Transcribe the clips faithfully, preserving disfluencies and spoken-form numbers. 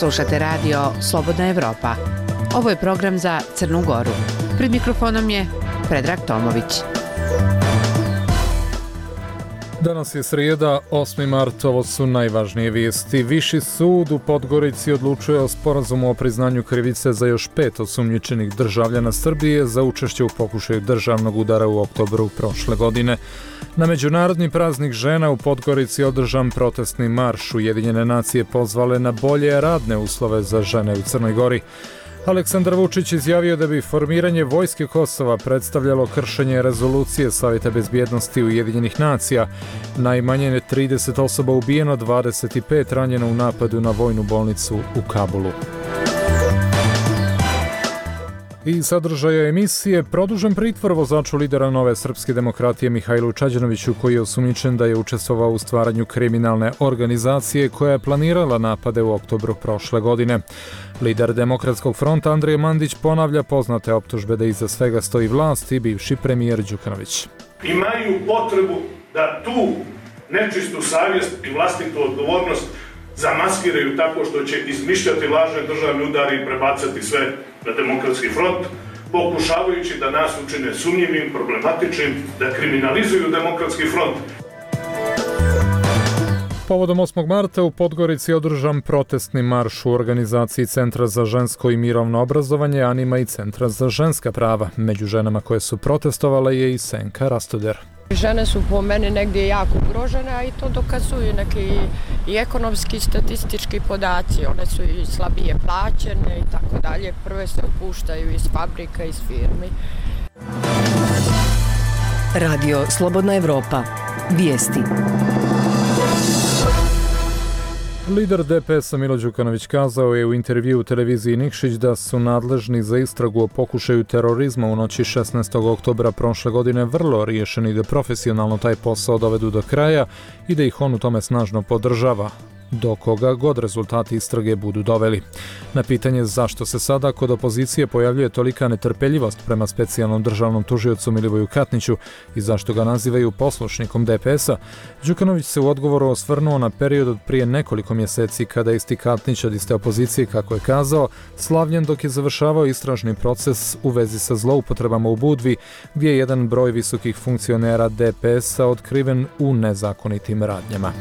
Slušate radio Slobodna Evropa. Ovo je program za Crnu Goru. Pred mikrofonom je Predrag Tomović. Danas je srijeda, osmi mart, ovo su najvažnije vijesti. Viši sud u Podgorici odlučuje o sporazumu o priznanju krivice za još pet osumnjičenih državljana Srbije za učešće u pokušaju državnog udara u oktobru prošle godine. Na Međunarodni praznik žena u Podgorici održan protestni marš. Ujedinjene nacije pozvale na bolje radne uslove za žene u Crnoj Gori. Aleksandar Vučić izjavio da bi formiranje vojske Kosova predstavljalo kršenje rezolucije Savjeta bezbjednosti Ujedinjenih nacija. Najmanje trideset osoba ubijeno, dvadeset pet ranjeno u napadu na vojnu bolnicu u Kabulu. I sadržaja emisije: produžen pritvor vozaču lidera Nove srpske demokratije Mihajlu Čađanoviću, koji je osumnjičen da je učestvovao u stvaranju kriminalne organizacije koja je planirala napade u oktobru prošle godine. Lider Demokratskog fronta Andrija Mandić ponavlja poznate optužbe da iza svega stoji vlast i bivši premijer Đukanović. Imaju potrebu da tu nečistu savjest i vlastitu odgovornost zamaskiraju tako što će izmišljati lažne državne udare i prebacati sve na Demokratski front, pokušavajući da nas učine sumnjivim, problematičnim, da kriminalizuju Demokratski front. Povodom osmog marta u Podgorici je održan protestni marš u organizaciji Centra za žensko i mirovno obrazovanje, Anima i Centra za ženska prava. Među ženama koje su protestovale je i Senka Rastoder. Žene su po meni negdje jako ugrožene, a i to dokazuju neki i ekonomski i statistički podaci. One su i slabije plaćene i tako dalje. Prve se opuštaju iz fabrika, iz firmi. Radio Slobodna Evropa. Vijesti. Lider D P S-a Milo Đukanović kazao je u intervjuu u televiziji Nikšić da su nadležni za istragu o pokušaju terorizma u noći šesnaestog oktobra prošle godine vrlo riješeni da profesionalno taj posao dovedu do kraja i da ih on u tome snažno podržava, do koga god rezultati istrage budu doveli. Na pitanje zašto se sada kod opozicije pojavljuje tolika netrpeljivost prema specijalnom državnom tužiocu Milivoju Katniću i zašto ga nazivaju poslušnikom D P S-a, Đukanović se u odgovoru osvrnuo na period od prije nekoliko mjeseci kada je isti Katnić od iste opozicije, kako je kazao, slavljen dok je završavao istražni proces u vezi sa zloupotrebama u Budvi, gdje je jedan broj visokih funkcionera D P S-a otkriven u nezakonitim radnjama.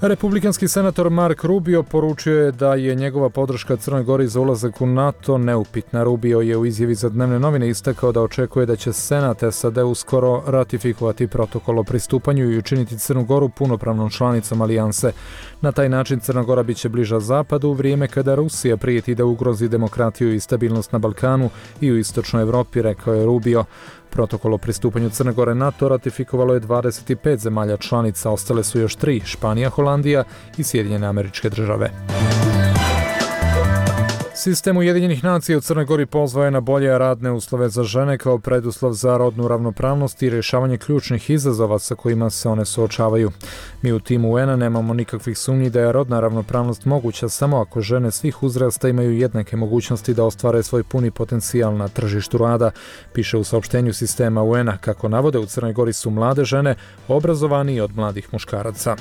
Republikanski senator Mark Rubio poručio je da je njegova podrška Crnoj Gori za ulazak u NATO neupitna. Rubio je u izjavi za dnevne novine istakao da očekuje da će Senat S A D uskoro ratifikovati protokol o pristupanju i učiniti Crnu Goru punopravnom članicom alijanse. Na taj način Crna Gora biće bliža zapadu u vrijeme kada Rusija prijeti da ugrozi demokratiju i stabilnost na Balkanu i u istočnoj Evropi, rekao je Rubio. Protokol o pristupanju Crne Gore NATO ratifikovalo je dvadeset pet zemalja članica, ostale su još tri, Španija, Holandija i Sjedinjene Američke Države. Sistem Ujedinjenih nacija u Crnoj Gori pozvao je na bolje radne uslove za žene kao preduslov za rodnu ravnopravnost i rješavanje ključnih izazova sa kojima se one suočavaju. Mi u timu U N A nemamo nikakvih sumnji da je rodna ravnopravnost moguća samo ako žene svih uzrasta imaju jednake mogućnosti da ostvare svoj puni potencijal na tržištu rada, piše u saopštenju sistema U N A. Kako navode, u Crnoj Gori su mlade žene obrazovanije od mladih muškaraca.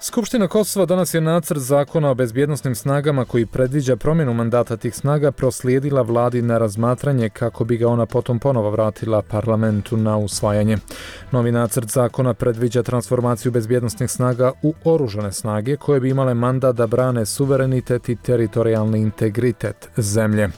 Skupština Kosova danas je nacrt zakona o bezbjednosnim snagama koji predviđa promjenu mandata tih snaga proslijedila vladi na razmatranje kako bi ga ona potom ponovo vratila parlamentu na usvajanje. Novi nacrt zakona predviđa transformaciju bezbjednosnih snaga u oružane snage koje bi imale mandat da brane suverenitet i teritorijalni integritet zemlje.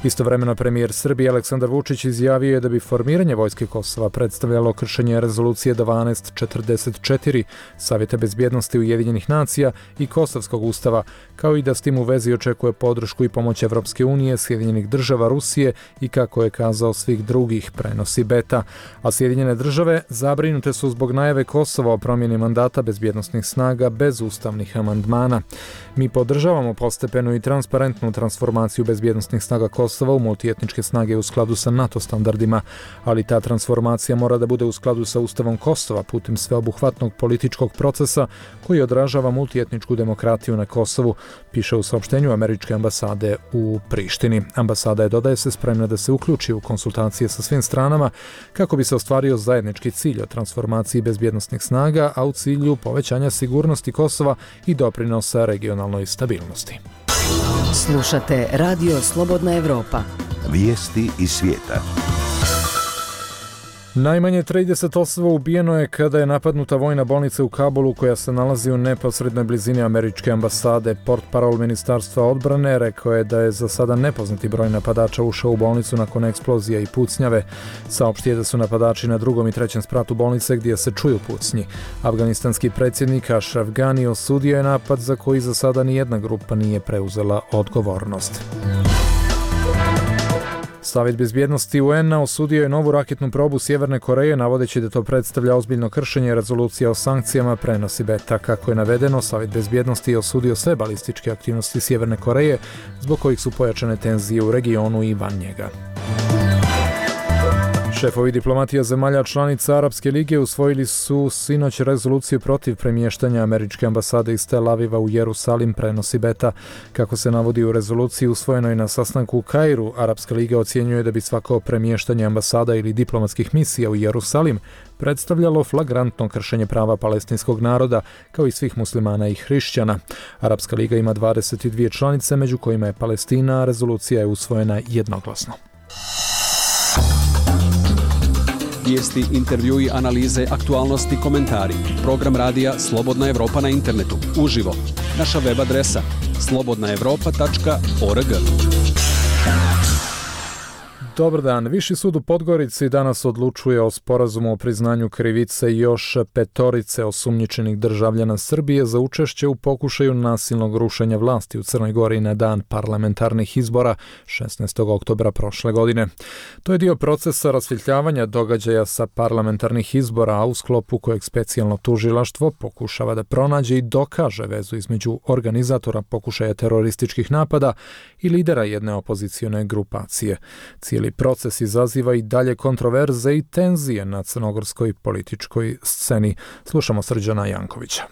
Istovremeno premijer Srbije Aleksandar Vučić izjavio je da bi formiranje vojske Kosova predstavljalo kršenje rezolucije dvanaest četrdeset četiri Savjeta bezbjednosti Ujedinjenih nacija i Kosovskog ustava, kao i da s tim u vezi očekuje podršku i pomoć Evropske unije, Sjedinjenih država, Rusije i, kako je kazao, svih drugih, prenosi Beta. A Sjedinjene države zabrinute su zbog najave Kosova o promjeni mandata bezbjednosnih snaga bez ustavnih amandmana. Mi podržavamo postepenu i transparentnu transformaciju bezbjednosnih snaga Kosova Kosova u multietničke snage u skladu sa NATO standardima, ali ta transformacija mora da bude u skladu sa Ustavom Kosova putem sveobuhvatnog političkog procesa koji odražava multietničku demokratiju na Kosovu, piše u saopštenju američke ambasade u Prištini. Ambasada je, dodaje se, spremna da se uključi u konsultacije sa svim stranama kako bi se ostvario zajednički cilj o transformaciji bezbjednosnih snaga, a u cilju povećanja sigurnosti Kosova i doprinosa regionalnoj stabilnosti. Slušate Radio Slobodna Evropa. Vijesti iz svijeta. Najmanje trideset osoba ubijeno je kada je napadnuta vojna bolnica u Kabulu koja se nalazi u neposrednoj blizini američke ambasade. Portparol Ministarstva odbrane rekao je da je za sada nepoznati broj napadača ušao u bolnicu nakon eksplozija i pucnjave. Saopštio je da su napadači na drugom i trećem spratu bolnice gdje se čuju pucnji. Afganistanski predsjednik Ashraf Ghani osudio je napad za koji za sada nijedna grupa nije preuzela odgovornost. Savjet bezbjednosti U N-a osudio je novu raketnu probu Sjeverne Koreje, navodeći da to predstavlja ozbiljno kršenje rezolucija o sankcijama, prenosi Beta. Kako je navedeno, Savjet bezbjednosti je osudio sve balističke aktivnosti Sjeverne Koreje, zbog kojih su pojačane tenzije u regionu i van njega. Šefovi diplomatija zemalja članica Arapske lige usvojili su sinoć rezoluciju protiv premještanja američke ambasade iz Tel Aviva u Jerusalim, prenosi Beta. Kako se navodi u rezoluciji usvojenoj na sastanku u Kairu, Arapska liga ocjenjuje da bi svako premještanje ambasada ili diplomatskih misija u Jerusalim predstavljalo flagrantno kršenje prava palestinskog naroda, kao i svih muslimana i hrišćana. Arapska liga ima dvadeset dvije članice, među kojima je Palestina, a rezolucija je usvojena jednoglasno. Vijesti, intervjui, analize, aktualnosti, komentari. Program radija Slobodna Evropa na internetu. Uživo. Naša web adresa slobodna evropa tačka org. Dobar dan. Viši sud u Podgorici danas odlučuje o sporazumu o priznanju krivice još petorice osumnjičenih državljana Srbije za učešće u pokušaju nasilnog rušenja vlasti u Crnoj Gori na dan parlamentarnih izbora šesnaestog oktobra prošle godine. To je dio procesa rasvjetljavanja događaja sa parlamentarnih izbora, a u sklopu kojeg specijalno tužilaštvo pokušava da pronađe i dokaže vezu između organizatora pokušaja terorističkih napada i lidera jedne opozicione grupacije. Cijeli proces izaziva i dalje kontroverze i tenzije na crnogorskoj političkoj sceni. Slušamo Srđana Jankovića.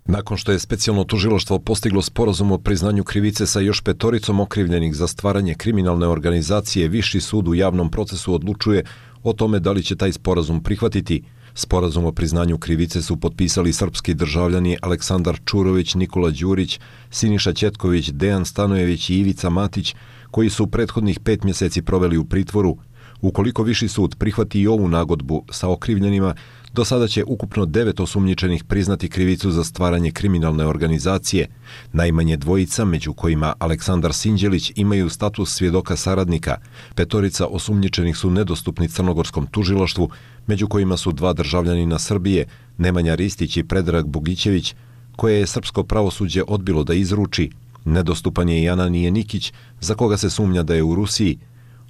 Nakon što je specijalno tužilaštvo postiglo sporazum o priznanju krivice sa još petoricom okrivljenih za stvaranje kriminalne organizacije, Viši sud u javnom procesu odlučuje o tome da li će taj sporazum prihvatiti. Sporazum o priznanju krivice su potpisali srpski državljani Aleksandar Čurović, Nikola Đurić, Siniša Ćetković, Dejan Stanojević i Ivica Matić, koji su prethodnih pet mjeseci proveli u pritvoru. Ukoliko Viši sud prihvati i ovu nagodbu sa okrivljenima, do sada će ukupno devet osumnjičenih priznati krivicu za stvaranje kriminalne organizacije. Najmanje dvojica, među kojima Aleksandar Sinđelić, imaju status svjedoka saradnika. Petorica osumnjičenih su nedostupni crnogorskom tužilaštvu, među kojima su dva državljanina Srbije, Nemanja Ristić i Predrag Bogićević, koje je srpsko pravosuđe odbilo da izruči. Nedostupan je i Ananije Nikić, za koga se sumnja da je u Rusiji.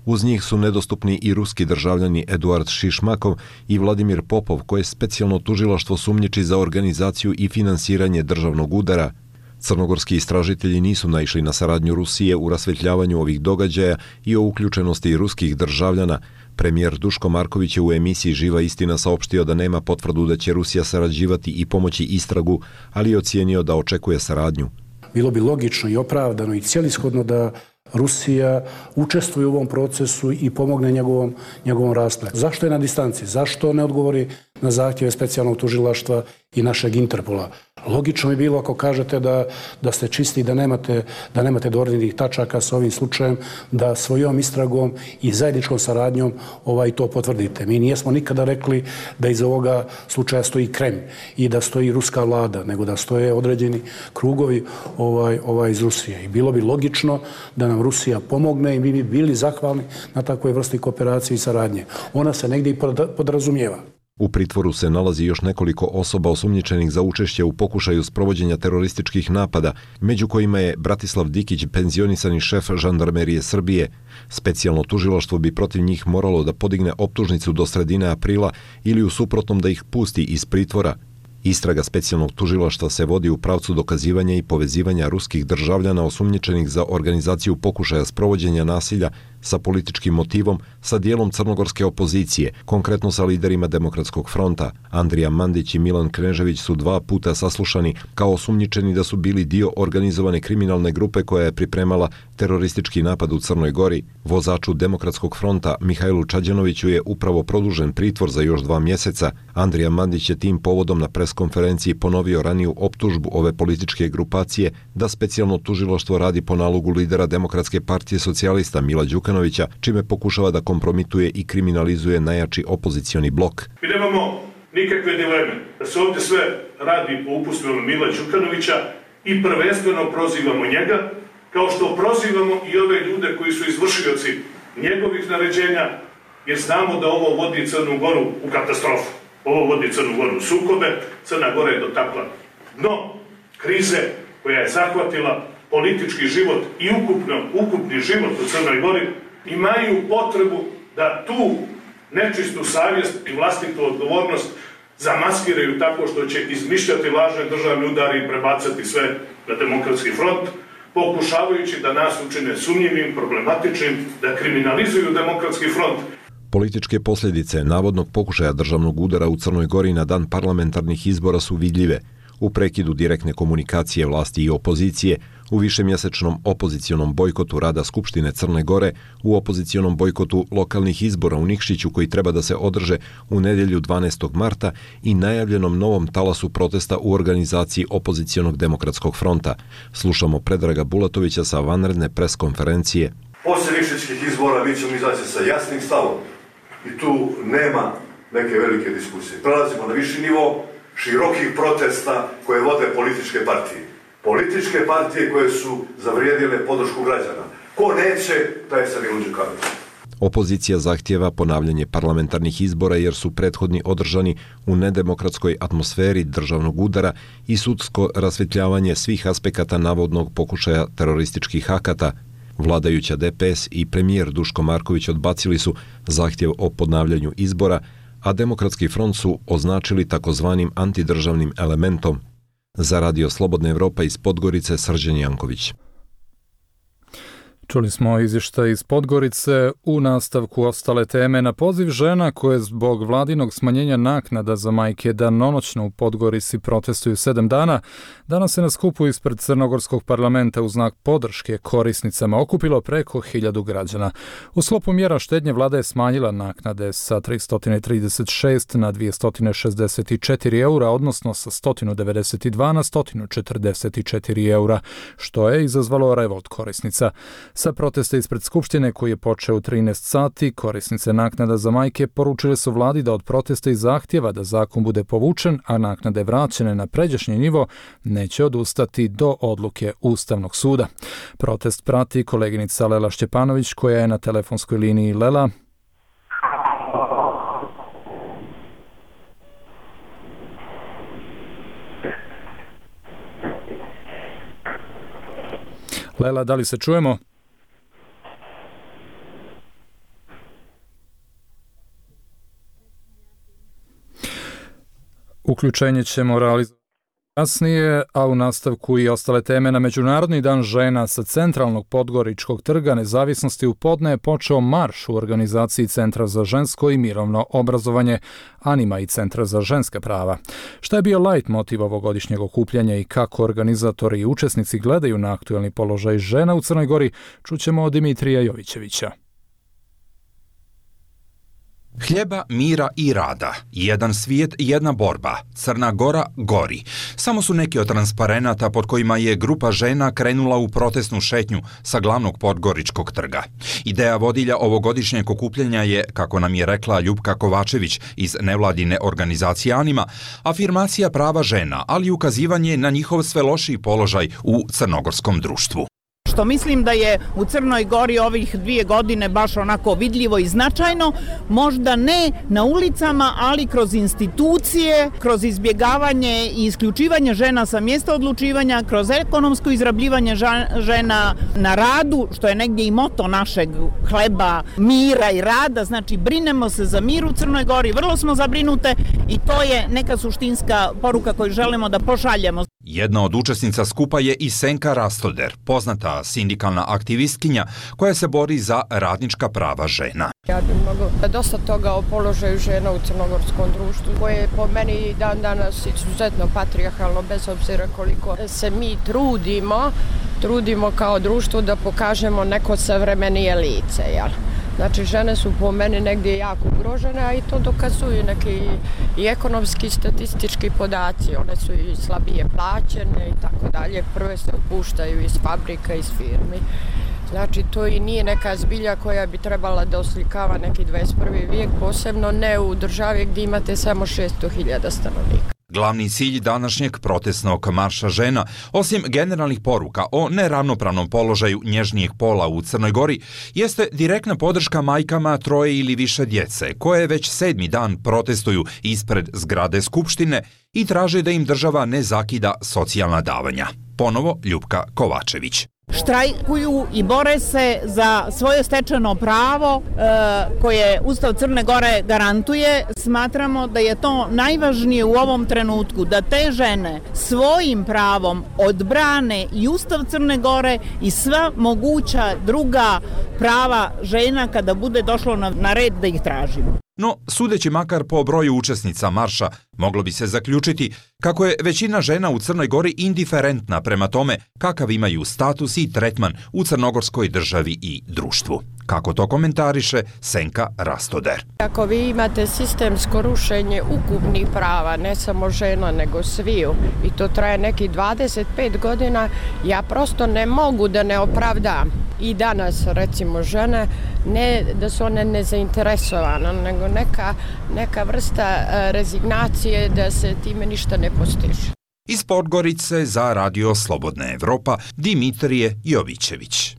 Uz njih su nedostupni i ruski državljani Eduard Šišmakov i Vladimir Popov, koje specijalno tužilaštvo sumnjiči za organizaciju i finansiranje državnog udara. Crnogorski istražitelji nisu naišli na saradnju Rusije u rasvetljavanju ovih događaja i o uključenosti ruskih državljana. Premijer Duško Marković je u emisiji Živa istina saopštio da nema potvrdu da će Rusija sarađivati i pomoći istragu, ali je ocijenio da očekuje saradnju. Bilo bi logično i opravdano i cijelishodno da Rusija učestvuje u ovom procesu i pomogne njegovom, njegovom raspletu. Zašto je na distanci? Zašto ne odgovori na zahtjeve specijalnog tužilaštva i našeg Interpola? Logično je bilo ako kažete da, da ste čisti, da nemate, da nemate dodirnih tačaka sa ovim slučajem, da svojom istragom i zajedničkom saradnjom ovaj, to potvrdite. Mi nijesmo nikada rekli da iz ovoga slučaja stoji Kremlj i da stoji ruska vlada, nego da stoje određeni krugovi ovaj, ovaj iz Rusije. I bilo bi logično da nam Rusija pomogne i mi bi bili zahvalni na takvoj vrsti kooperacije i saradnje. Ona se negdje i podrazumijeva. U pritvoru se nalazi još nekoliko osoba osumnjičenih za učešće u pokušaju sprovođenja terorističkih napada, među kojima je Bratislav Dikić, penzionisani šef žandarmerije Srbije. Specijalno tužilaštvo bi protiv njih moralo da podigne optužnicu do sredine aprila ili u suprotnom da ih pusti iz pritvora. Istraga specijalnog tužilaštva se vodi u pravcu dokazivanja i povezivanja ruskih državljana osumnjičenih za organizaciju pokušaja sprovođenja nasilja sa političkim motivom sa dijelom crnogorske opozicije, konkretno sa liderima Demokratskog fronta. Andrija Mandić i Milan Knežević su dva puta saslušani kao osumnjičeni da su bili dio organizovane kriminalne grupe koja je pripremala teroristički napad u Crnoj Gori. Vozaču Demokratskog fronta Mihajlu Čađanoviću je upravo produžen pritvor za još dva mjeseca. Andrija Mandić je tim povodom na preskonferenciji ponovio raniju optužbu ove političke grupacije da specijalno tužilaštvo radi po nalogu lidera Demokratske partije socijalista Mila Đukanovića, čime pokušava da kompromituje i kriminalizuje najjači opozicioni blok. Mi nemamo nikakve dileme da se ovdje sve radi po upustvima Mila Đukanovića i prvenstveno prozivamo njega, kao što prozivamo i ove ljude koji su izvršioci njegovih naređenja, jer znamo da ovo vodi Crnu Goru u katastrofu. Ovo vodi Crnu Goru u sukobe, Crna Gora je dotakla dno krize koja je zahvatila politički život i ukupno, ukupni život u Crnoj Gori. Imaju potrebu da tu nečistu savjest i vlastitu odgovornost zamaskiraju tako što će izmišljati lažne državne udare i prebacati sve na Demokratski front, pokušavajući da nas učine sumnjivim, problematičnim, da kriminalizuju Demokratski front. Političke posljedice navodnog pokušaja državnog udara u Crnoj Gori na dan parlamentarnih izbora su vidljive. U prekidu direktne komunikacije vlasti i opozicije, u višemjesečnom opozicionom bojkotu rada Skupštine Crne Gore, u opozicionom bojkotu lokalnih izbora u Nikšiću koji treba da se održe u nedjelju dvanaestog marta i najavljenom novom talasu protesta u organizaciji opozicionog Demokratskog fronta. Slušamo Predraga Bulatovića sa vanredne preskonferencije. Poslije nikšićkih izbora mi ćemo izaći sa jasnim stavom i tu nema neke velike diskusije. Prelazimo na viši nivo širokih protesta koje vode političke partije. Političke partije koje su zavrijedile podršku građana. Ko neće, taj se Milo Đukanović. Opozicija zahtijeva ponavljanje parlamentarnih izbora jer su prethodni održani u nedemokratskoj atmosferi državnog udara i sudsko rasvjetljavanje svih aspekata navodnog pokušaja terorističkih akata. Vladajuća D P S i premijer Duško Marković odbacili su zahtjev o ponavljanju izbora, a Demokratski front su označili takozvanim antidržavnim elementom. Za Radio Slobodna Evropa iz Podgorice, Srđan Janković. Čuli smo izvještaj iz Podgorice. U nastavku ostale teme. Na poziv žena koje zbog vladinog smanjenja naknada za majke danonoćno u Podgorici protestuju sedam dana, danas se na skupu ispred Crnogorskog parlamenta u znak podrške korisnicama okupilo preko hiljadu građana. U sklopu mjera štednje vlada je smanjila naknade sa tristo trideset šest na dvjesto šezdeset četiri eura, odnosno sa sto devedeset dva na sto četrdeset četiri eura, što je izazvalo revolt korisnica. Sa protesta ispred Skupštine koji je počeo u trinaest sati, korisnice naknada za majke poručile su vladi da od protesta i zahtjeva da zakon bude povučen, a naknade vraćene na pređašnji nivo, neće odustati do odluke Ustavnog suda. Protest prati koleginica Lela Šćepanović koja je na telefonskoj liniji. Lela. Lela, da li se čujemo? Uključenje ćemo realizovati kasnije, a u nastavku i ostale teme. Na Međunarodni dan žena sa centralnog Podgoričkog trga Nezavisnosti u podne je počeo marš u organizaciji Centra za žensko i mirovno obrazovanje, Anima i Centra za ženska prava. Šta je bio lajt motiv ovogodišnjeg okupljanja i kako organizatori i učesnici gledaju na aktuelni položaj žena u Crnoj Gori, čućemo od Dimitrija Jovićevića. Hljeba, mira i rada. Jedan svijet, jedna borba. Crna Gora gori. Samo su neki od transparenata pod kojima je grupa žena krenula u protestnu šetnju sa glavnog Podgoričkog trga. Ideja vodilja ovogodišnjeg okupljanja je, kako nam je rekla Ljupka Kovačević iz nevladine organizacije Anima, afirmacija prava žena, ali i ukazivanje na njihov sve lošiji položaj u crnogorskom društvu. Što mislim da je u Crnoj Gori ovih dvije godine baš onako vidljivo i značajno, možda ne na ulicama, ali kroz institucije, kroz izbjegavanje i isključivanje žena sa mjesta odlučivanja, kroz ekonomsko izrabljivanje žena na radu, što je negdje i moto našeg hleba, mira i rada, znači brinemo se za mir u Crnoj Gori, vrlo smo zabrinute i to je neka suštinska poruka koju želimo da pošaljemo. Jedna od učesnica skupa je i Senka Rastoder, poznata Hrvata, sindikalna aktivistkinja koja se bori za radnička prava žena. Ja bih mogla dosta toga o položaju žena u crnogorskom društvu, koje je po meni dan danas izuzetno patrijarhalno, bez obzira koliko se mi trudimo, trudimo kao društvo da pokažemo neko savremenije lice, jel? Znači, žene su po meni negdje jako ugrožene, a i to dokazuju neki i ekonomski i statistički podaci. One su i slabije plaćene i tako dalje. Prve se otpuštaju iz fabrika, iz firmi. Znači, to i nije neka zbilja koja bi trebala da oslikava neki dvadeset prvi vijek, posebno ne u državi gdje imate samo šesto hiljada stanovnika. Glavni cilj današnjeg protestnog marša žena, osim generalnih poruka o neravnopravnom položaju nježnijeg pola u Crnoj Gori, jeste direktna podrška majkama troje ili više djece, koje već sedmi dan protestuju ispred zgrade Skupštine i traže da im država ne zakida socijalna davanja. Ponovo Ljupka Kovačević. Štrajkuju i bore se za svoje stečeno pravo e, koje Ustav Crne Gore garantuje. Smatramo da je to najvažnije u ovom trenutku, da te žene svojim pravom odbrane i Ustav Crne Gore i sva moguća druga prava žena kada bude došlo na, na red da ih tražimo. No, sudeći makar po broju učesnica marša, moglo bi se zaključiti kako je većina žena u Crnoj Gori indiferentna prema tome kakav imaju status i tretman u crnogorskoj državi i društvu. Kako to komentariše Senka Rastoder. Ako vi imate sistemsko rušenje ukupnih prava, ne samo žena nego sviju, i to traje neki dvadeset pet godina, ja prosto ne mogu da ne opravdam. I danas, recimo, žene, ne da su one nezainteresovane, nego neka, neka vrsta rezignacije da se time ništa ne postiže. Iz Podgorice za Radio Slobodna Evropa, Dimitrije Jovićević.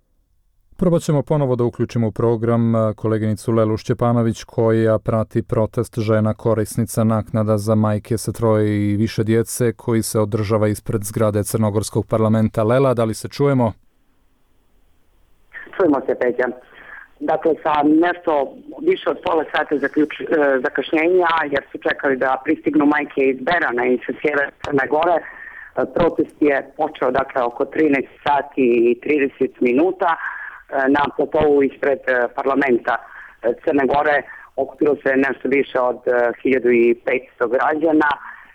Probat ćemo ponovo da uključimo u program koleginicu Lelu Šćepanović koja prati protest žena korisnica naknada za majke sa troje i više djece koji se održava ispred zgrade Crnogorskog parlamenta. Lela, da li se čujemo? Čujemo se, Peđa. Dakle, sa nešto više od pola sata zaključ, e, zakašnjenja, jer su čekali da pristignu majke iz Berana i sa sjevera Crne Gore. E, protest je počeo, dakle, oko trinaest sati i trideset minuta. E, na platovu ispred parlamenta Crne Gore okupilo se nešto više od hiljadu petsto građana.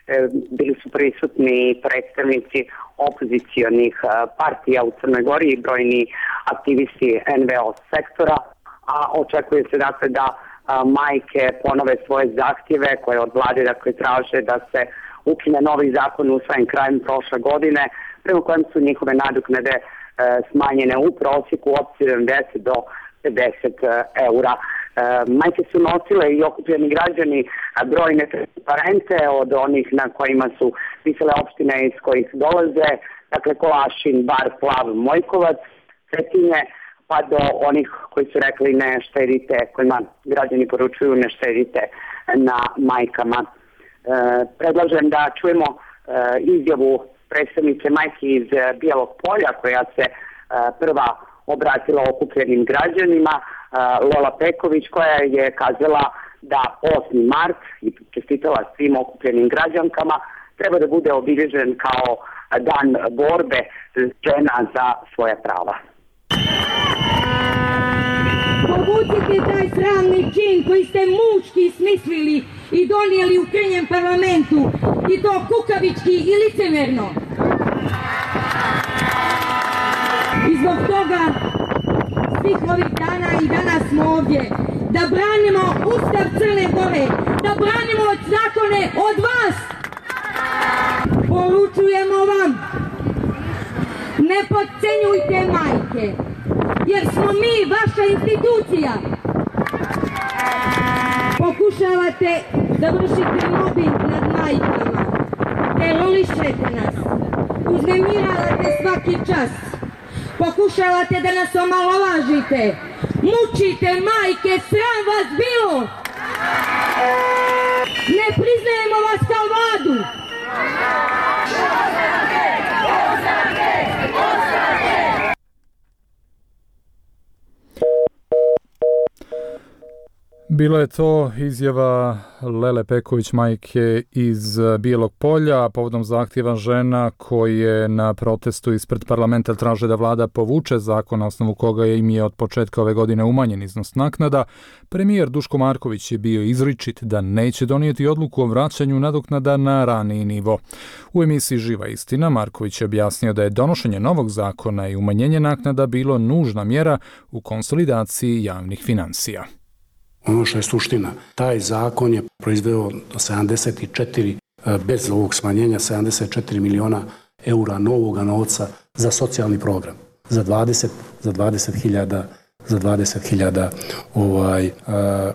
E, bili su prisutni predstavnici opozicionih partija u Crnoj Gori i brojni aktivisti en ve o sektora, a očekuje se dakle da a, majke ponove svoje zahtjeve koje od vlade dakle traže da se ukine novi zakon usvojen krajem prošle godine, prema kojem su njihove nadoknade e, smanjene u prosjeku od sedamdeset do pedeset eura. E, majke su nosile i okupljeni građani brojne transparente od onih na kojima su pisale opštine iz kojih dolaze, dakle Kolašin, Bar, Plav, Mojkovac, Cetinje, pa do onih koji su rekli ne štedite, kojima građani poručuju ne štedite na majkama. E, predlažem da čujemo e, izjavu predstavnice majke iz Bijelog Polja koja se e, prva obratila okupljenim građanima, e, Lola Peković, koja je kazala da osmi mart i čestitala svim okupljenim građankama treba da bude obilježen kao dan borbe žena za svoja prava. Povucite taj sramni čin koji ste muški smislili i donijeli u krnjem parlamentu, i to kukavički i licemerno. I zbog toga svih ovih dana i danas smo ovdje da branimo Ustav Crne Gore, da branimo zakone od vas. Poručujemo vam, ne podcenjujte majke, jer smo mi vaša institucija. Pokušavate da vršite mobbing nad majkama, terorišete nas, uznemiravate svaki čas, pokušavate da nas omalovažite, mučite majke, sram vas bilo. Ne priznajemo vas kao vladu. Bila je to izjava Lele Peković, majke iz Bijelog Polja, povodom zahtjeva žena koje na protestu ispred parlamenta traže da vlada povuče zakon na osnovu koga im je od početka ove godine umanjen iznos naknada. Premijer Duško Marković je bio izričit da neće donijeti odluku o vraćanju nadoknada na raniji nivo. U emisiji Živa istina Marković je objasnio da je donošenje novog zakona i umanjenje naknada bilo nužna mjera u konsolidaciji javnih financija. Ono što je suština, taj zakon je proizveo sedamdeset četiri, bez ovog smanjenja, sedamdeset četiri miliona eura novoga novca za socijalni program, za dvadeset, za dvadeset hiljada za dvadeset hiljada ovaj,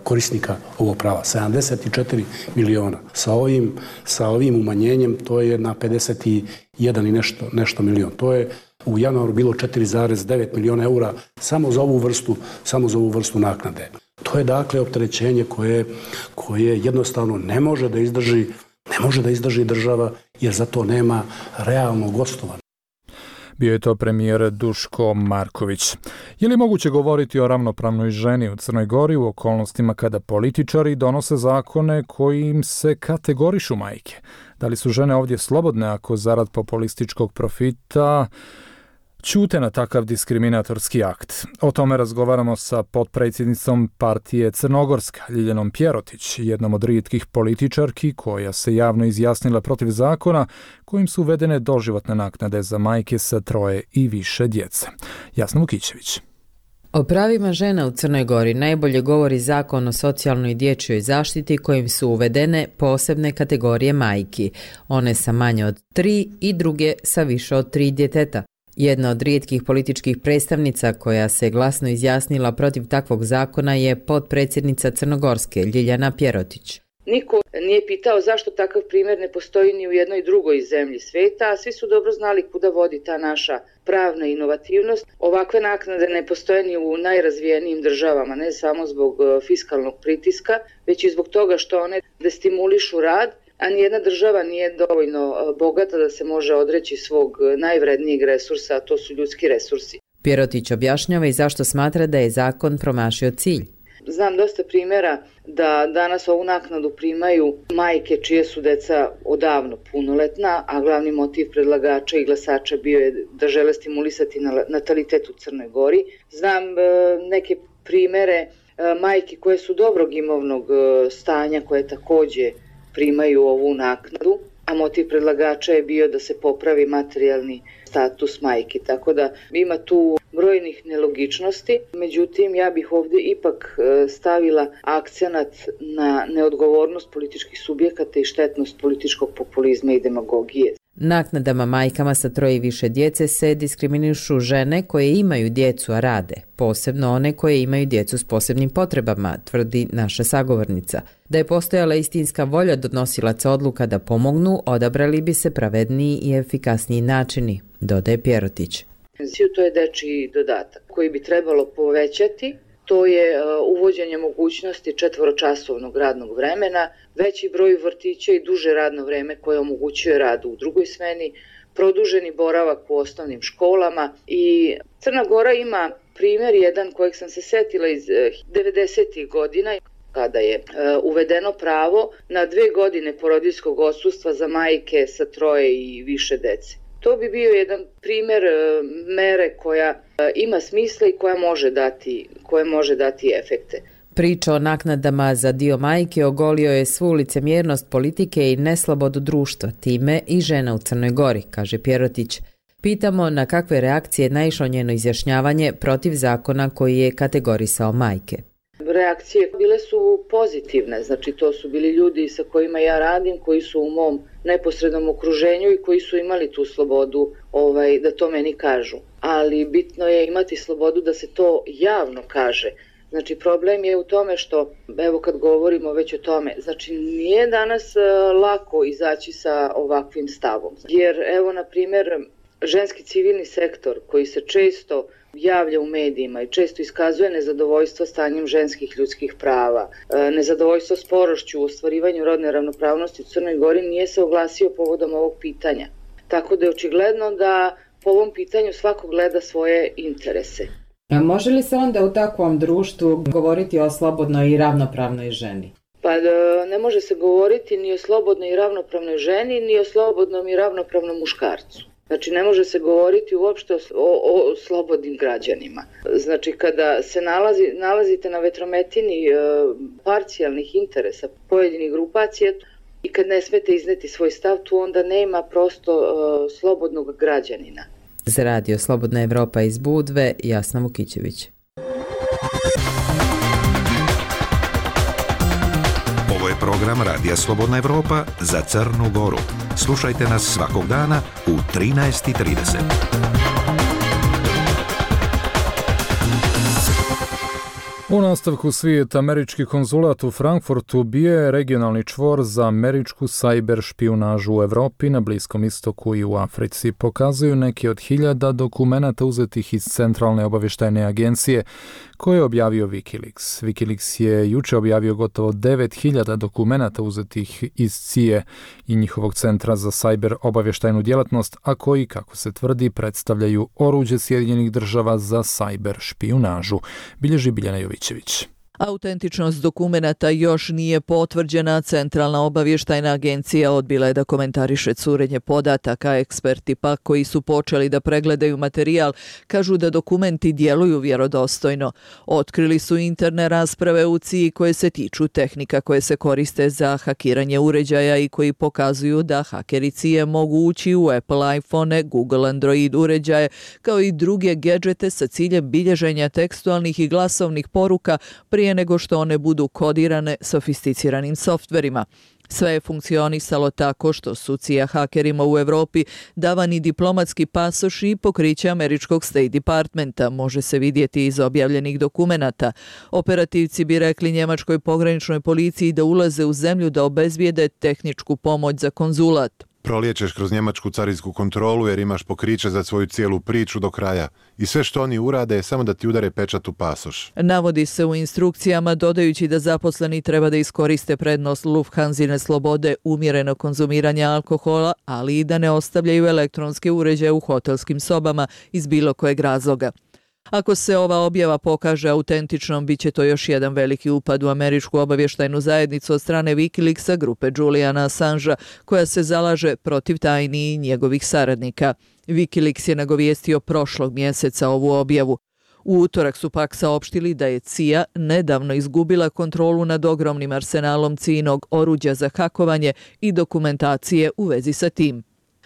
korisnika ovog prava. sedamdeset četiri miliona. Sa ovim, sa ovim umanjenjem to je na pedeset jedan i nešto, nešto milion. To je u januaru bilo četiri zarez devet miliona eura samo za ovu vrstu, samo za ovu vrstu naknade. To je dakle opterećenje koje, koje jednostavno ne može da izdrži, ne može da izdrži država jer za to nema realnog osnova. Bio je to premijer Duško Marković. Je li moguće govoriti o ravnopravnoj ženi u Crnoj Gori u okolnostima kada političari donose zakone kojim se kategorišu majke? Da li su žene ovdje slobodne ako zarad populističkog profita ćute na takav diskriminatorski akt? O tome razgovaramo sa potpredsjednicom partije Crnogorska, Ljiljanom Pjerotić, jednom od rijetkih političarki koja se javno izjasnila protiv zakona kojim su uvedene doživotne naknade za majke sa troje i više djece. Jasna Vukićević. O pravima žena u Crnoj Gori najbolje govori Zakon o socijalnoj i dječjoj zaštiti kojim su uvedene posebne kategorije majki, one sa manje od tri i druge sa više od tri djeteta. Jedna od rijetkih političkih predstavnica koja se glasno izjasnila protiv takvog zakona je potpredsjednica Crnogorske, Ljiljana Pjerotić. Niko nije pitao zašto takav primjer ne postoji ni u jednoj drugoj zemlji svijeta, a svi su dobro znali kuda vodi ta naša pravna inovativnost. Ovakve naknade ne postoje ni u najrazvijenijim državama, ne samo zbog fiskalnog pritiska, već i zbog toga što one destimulišu rad, a nijedna država nije dovoljno bogata da se može odreći svog najvrednijeg resursa, a to su ljudski resursi. Pjerotić objašnjava i zašto smatra da je zakon promašio cilj. Znam dosta primjera da danas ovu naknadu primaju majke čije su deca odavno punoletna, a glavni motiv predlagača i glasača bio je da žele stimulisati natalitet u Crnoj Gori. Znam neke primjere majke koje su dobrog imovnog stanja, koje također primaju ovu naknadu, a motiv predlagača je bio da se popravi materijalni status majke. Tako da ima tu brojnih nelogičnosti, međutim ja bih ovdje ipak stavila akcenat na neodgovornost političkih subjekata i štetnost političkog populizma i demagogije. Naknadama majkama sa troje i više djece se diskriminišu žene koje imaju djecu a rade, posebno one koje imaju djecu s posebnim potrebama, tvrdi naša sagovornica. Da je postojala istinska volja donosilaca odluka da pomognu, odabrali bi se pravedniji i efikasniji načini, dodaje Pjerotić. To je dečiji dodatak koji bi trebalo povećati. To je uvođenje mogućnosti četvoročasovnog radnog vremena, veći broj vrtića i duže radno vreme koje omogućuje rad u drugoj smeni, produženi boravak u osnovnim školama. I Crna Gora ima primjer jedan kojeg sam se setila iz devedesetih godina, kada je uvedeno pravo na dve godine porodiljskog odsustva za majke sa troje i više dece. To bi bio jedan primjer mere koja ima smisla i koja može dati, koja može dati efekte. Priča o naknadama za dio majke ogolio je svu licemjernost politike i neslobodu društva, time i žena u Crnoj Gori, kaže Pjerotić. Pitamo na kakve reakcije naišlo njeno izjašnjavanje protiv zakona koji je kategorisao majke. Reakcije bile su pozitivne, znači to su bili ljudi sa kojima ja radim, koji su u mom neposrednom okruženju i koji su imali tu slobodu ovaj, da to meni kažu. Ali bitno je imati slobodu da se to javno kaže. Znači problem je u tome što, evo kad govorimo već o tome, znači nije danas lako izaći sa ovakvim stavom. Jer evo na primjer ženski civilni sektor koji se često javlja u medijima i često iskazuje nezadovoljstvo stanjem ženskih ljudskih prava, nezadovoljstvo sporošću u ostvarivanju rodne ravnopravnosti u Crnoj Gori, nije se oglasio povodom ovog pitanja. Tako da je očigledno da po ovom pitanju svako gleda svoje interese. A može li se onda u takvom društvu govoriti o slobodnoj i ravnopravnoj ženi? Pa da, ne može se govoriti ni o slobodnoj i ravnopravnoj ženi, ni o slobodnom i ravnopravnom muškarcu. Znači, ne može se govoriti uopšte o, o, o slobodnim građanima. Znači, kada se nalazi, nalazite na vetrometini e, parcijalnih interesa pojedinih grupacija i kad ne smete izneti svoj stav, tu onda nema prosto e, slobodnog građanina. Za radio Slobodna Evropa iz Budve, Jasna Vukićević. Ovo je program Radija Slobodna Evropa za Crnu Goru. Slušajte nas svakog dana u trinaest i trideset. U nastavku svijeta, američki konzulat u Frankfurtu bio je regionalni čvor za američku sajber špijunažu u Evropi, na Bliskom istoku i u Africi. Pokazuju neki od hiljada dokumenata uzetih iz Centralne obavještajne agencije koje je objavio Wikileaks. Wikileaks je juče objavio gotovo devet hiljada dokumenata uzetih iz C I A i njihovog centra za sajber obavještajnu djelatnost, a koji, kako se tvrdi, predstavljaju oruđe Sjedinjenih država za sajber špijunažu. Bilježi Biljana Jovićević. Autentičnost dokumenata još nije potvrđena. Centralna obavještajna agencija odbila je da komentariše curenje podataka. Eksperti pak koji su počeli da pregledaju materijal kažu da dokumenti djeluju vjerodostojno. Otkrili su interne rasprave u C I A koje se tiču tehnika koje se koriste za hakiranje uređaja i koji pokazuju da hakeri C I A mogu ući u Apple iPhone, Google Android uređaje kao i druge gedžete sa ciljem bilježenja tekstualnih i glasovnih poruka prije nego što one budu kodirane sofisticiranim softverima. Sve je funkcionisalo tako što su C I A hakerima u Evropi davani diplomatski pasoši i pokriće američkog State Departmenta, može se vidjeti iz objavljenih dokumenata. Operativci bi rekli njemačkoj pograničnoj policiji da ulaze u zemlju da obezbijede tehničku pomoć za konzulat. Proliječeš kroz njemačku carinsku kontrolu jer imaš pokriće za svoju cijelu priču do kraja. I sve što oni urade je samo da ti udare pečat u pasoš. Navodi se u instrukcijama, dodajući da zaposleni treba da iskoriste prednost Lufthansine slobode umjereno konzumiranja alkohola, ali i da ne ostavljaju elektronske uređaje u hotelskim sobama iz bilo kojeg razloga. Ako se ova objava pokaže autentičnom, bit će to još jedan veliki upad u američku obavještajnu zajednicu od strane Wikileaksa, grupe Juliana Assangea, koja se zalaže protiv tajni i njegovih saradnika. Wikileaks je nagovijestio prošlog mjeseca ovu objavu. U utorak su pak saopštili da je C I A nedavno izgubila kontrolu nad ogromnim arsenalom C I A-nog oruđa za hakovanje i dokumentacije u vezi sa tim.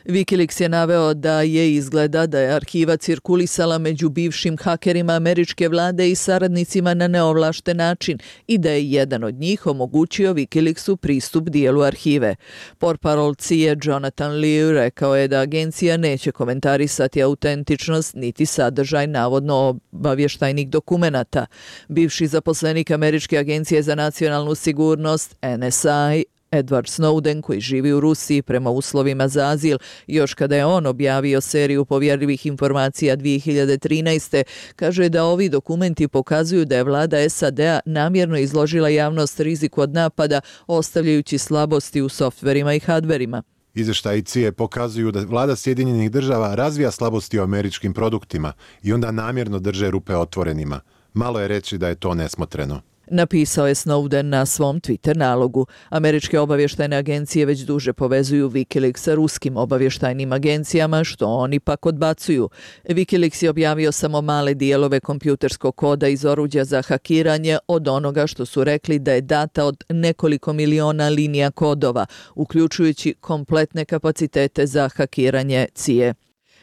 Wikileaks je naveo da je izgleda da je arhiva cirkulisala među bivšim hakerima američke vlade i saradnicima na neovlašten način i da je jedan od njih omogućio Wikileaksu pristup dijelu arhive. Portparol C I A Jonathan Liu rekao je da agencija neće komentarisati autentičnost niti sadržaj navodno obavještajnih dokumenata. Bivši zaposlenik Američke agencije za nacionalnu sigurnost N S I Edward Snowden, koji živi u Rusiji prema uslovima za azil, još kada je on objavio seriju povjerljivih informacija dvije hiljade trinaeste. kaže da ovi dokumenti pokazuju da je vlada S A D-a namjerno izložila javnost riziku od napada, ostavljajući slabosti u softverima i hardverima. Izvještaji C I A pokazuju da vlada Sjedinjenih država razvija slabosti u američkim produktima i onda namjerno drže rupe otvorenima. Malo je reći da je to nesmotreno. Napisao je Snowden na svom Twitter nalogu. Američke obavještajne agencije već duže povezuju Wikileaks sa ruskim obavještajnim agencijama, što oni pak odbacuju. Wikileaks je objavio samo male dijelove kompjuterskog koda iz oruđa za hakiranje od onoga što su rekli da je data od nekoliko miliona linija kodova, uključujući kompletne kapacitete za hakiranje C I A.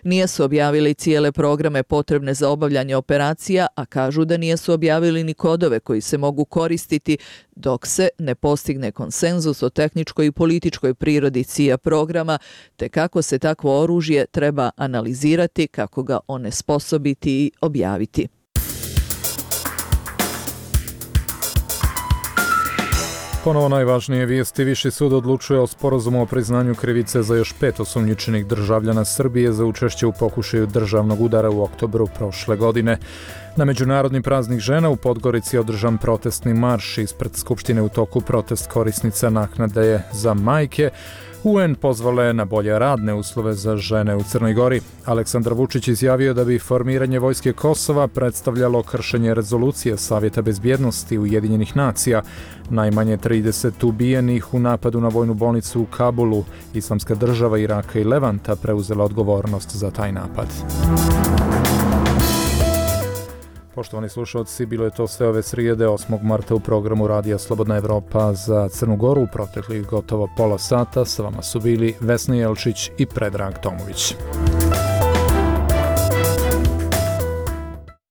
Nisu objavili cijele programe potrebne za obavljanje operacija, a kažu da nisu objavili ni kodove koji se mogu koristiti dok se ne postigne konsenzus o tehničkoj i političkoj prirodi C I A programa, te kako se takvo oružje treba analizirati, kako ga onesposobiti i objaviti. Ponovo najvažnije vijesti. Viši sud odlučuje o sporazumu o priznanju krivice za još pet osumnjičenih državljana Srbije za učešće u pokušaju državnog udara u oktobru prošle godine. Na Međunarodni praznik žena u Podgorici je održan protestni marš. Ispred Skupštine u toku protest korisnica naknade za majke. U en pozvale na bolje radne uslove za žene u Crnoj Gori. Aleksandar Vučić izjavio da bi formiranje vojske Kosova predstavljalo kršenje rezolucije Savjeta bezbjednosti Ujedinjenih nacija. Najmanje trideset ubijenih u napadu na vojnu bolnicu u Kabulu. Islamska država Iraka i Levanta preuzela odgovornost za taj napad. Poštovani slušalci, bilo je to sve ove srijede osmog marta u programu Radija Slobodna Evropa za Crnu Goru. U proteklih gotovo pola sata sa vama su bili Vesna Jelčić i Predrag Tomović.